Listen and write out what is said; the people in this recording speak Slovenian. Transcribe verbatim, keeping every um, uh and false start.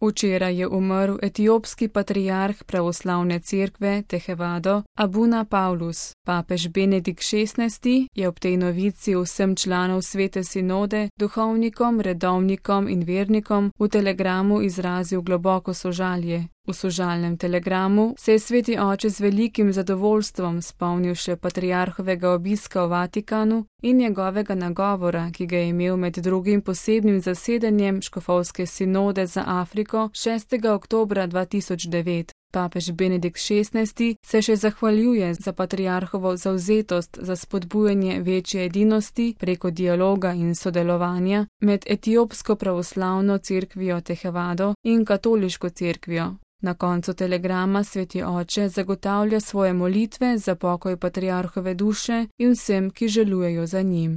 Včeraj je umrl etiopski patriarh pravoslavne cerkve Tehevado Abuna Pavlus. Papež Benedikt šestnajsti je ob tej novici vsem članov svete sinode, duhovnikom, redovnikom in vernikom v telegramu izrazil globoko sožalje. V sožalnem telegramu se je sveti oče z velikim zadovoljstvom spomnil še patriarhovega obiska v Vatikanu in njegovega nagovora, ki ga je imel med drugim posebnim zasedanjem škofovske sinode za Afriko šestega oktobra dva tisoč devet. Papež Benedikt šestnajsti se še zahvaljuje za patriarhovo zavzetost za spodbujanje večje edinosti preko dialoga in sodelovanja med etiopsko pravoslavno cerkvijo Tehevado in katoliško cerkvijo. Na koncu telegrama sveti oče zagotavlja svoje molitve za pokoj patriarhove duše in vsem, ki žalujejo za njim.